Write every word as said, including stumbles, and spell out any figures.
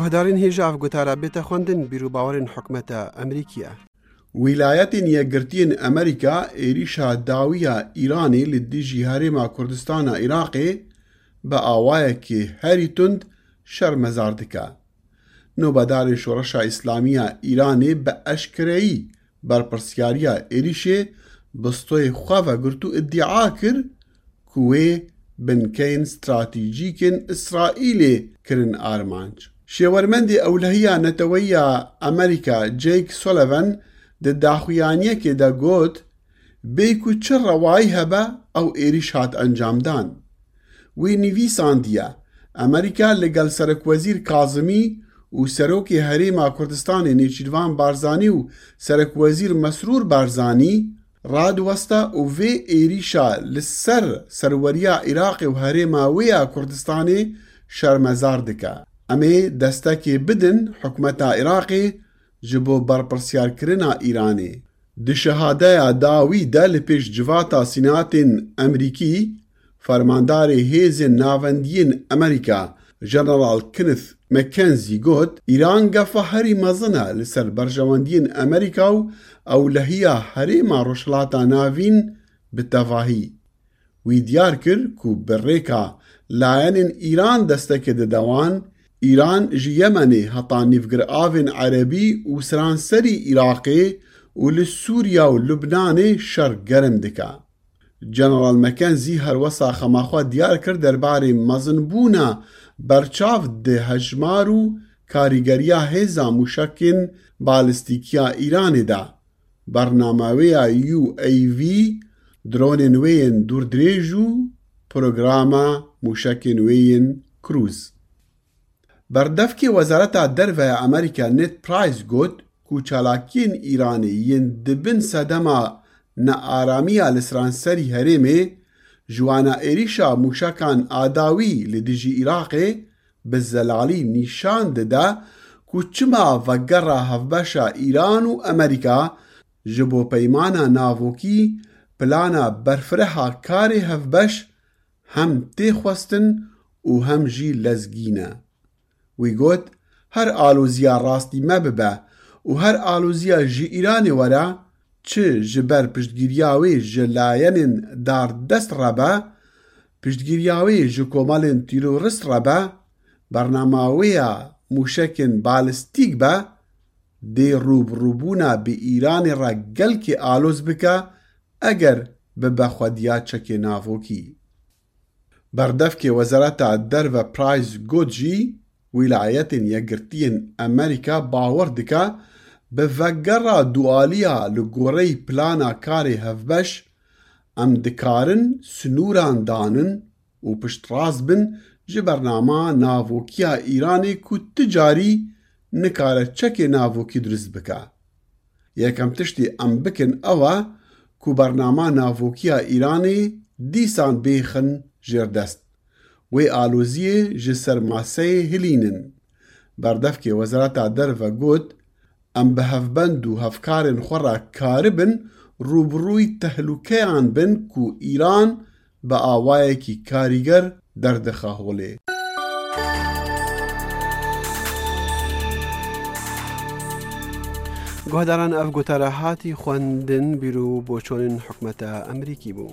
Guhdarên hêja ev gotara bête xwendin, bîr û bawerên hikûmeta Amerîkî ye. Wîlayetên Yekgirtiyên Amerîka êrîşa dawî ya Îranê li dijî Herêma Kurdistana Iraqê bi awayekî herî tund şermezar dike. Nobedarên Şoreşa Îslamî ya Îranê bi eşkereyî berpirsyariya êrîşê bi stoyê xwe vegirt û îdia kir ku wê binkeyên stratejîk ên Îsraîlê kirin armanc. Şêwermendê Ewlehiya Neteweyî ya Amerîka Jake Sullivan di daxuyaniyekê de got, bê ku çi rewayî hebe ew êrîş hat encamdan. Wî nivîsandiye, Amerîka li gel Serekwezîr Kazimî û Serokê Herêma Kurdistanê Nêçîrvan Barzanî û Serekwezîr Mesrûr Barzanî radiweste û vê êrîşa li ser serweriya Iraqê û herêma wê ya Kurdistanê şermezar dike. Em ê destekê bidin hikûmeta Iraqê ji bo berpirsyarkirina Îranê. Di şehadeya dawî de li pêş civata Sînatên Amerîkî, Fermandarê Hêzên Navendiyên Amerîka, General Kenneth McKenzie got, Îran gefa herî mezin e li ser berjewendiyên Amerîka û ewlehiya herêma Rojhilata Navîn bi tevahî. Wî diyar kir ku bi rêka layenên Îran destekê dide wan, Îran ji Yemenê heta Nîvgiravên Erebî û seranserî Iraqê û li Sûriya û Lubnanê şer germ dike. General McKenzie her wesa xema xwe diyar kir derbarê mezinbûna berçav di hejmar û karîgeriya hêza mûşekên balîstîkî ya Îranê de. Bernama wê ya U A V, dronên wê yên dûrdirêj û programa mûşekên wê yên Cruise. Berdevkê Wezareta Derve ya Amerîka Ned Price got ku çalakiyên Îranê yên di bin sedema nearamiya li seranserî herêmê, ji wana êrîşa mûşekan a dawî li dijî Iraqê, bi zelalî nîşan dide ku çima vegera hevbeşa Îran û Amerîka ji bo peymana navokî plana berfireha karê hevbeş hem tê xwestin û hem jî lezgîn e. Wî got, her aloziya rastî me bibe û her aloziya ji Îranê were, çi ji ber piştgiriya wê ji layenên dardest re be, piştgiriya wê ji komelên terorist re be, bernama wê ya mûşekên balîstîk be, dê rûbirûbûna bi Îranê re gelkê aloz bike, eger bibe xwediya çekê navokî. Berdevkê Wezareta Derve Price got jî, Wîlayetên Yekgirtiyên Amerîka bawer dike, bi vegera dualiya li goreyî plana karê hevbeş, em dikarin sinûran danin û piştrast bin ji bernama navokî ya Îranê ku ti carî nikare çekê navokî dirust bike. Yekem tiştî em bikin ew e ku bernama navokî ya Îranê dîsan bêxin jêrdest. Wê aloziyê ji ser maseyê hilînin. Berdevkê Wezareta Derve got, em bi hevbend û hevkarên xwe re karibin rûbirûyî tehlûkeyan bin ku Îran bi awayekî karîger derdixe holê. Guhdaran, ev gotara hatî xwendin, bîr û boçonên hikûmeta Amerîkî bû.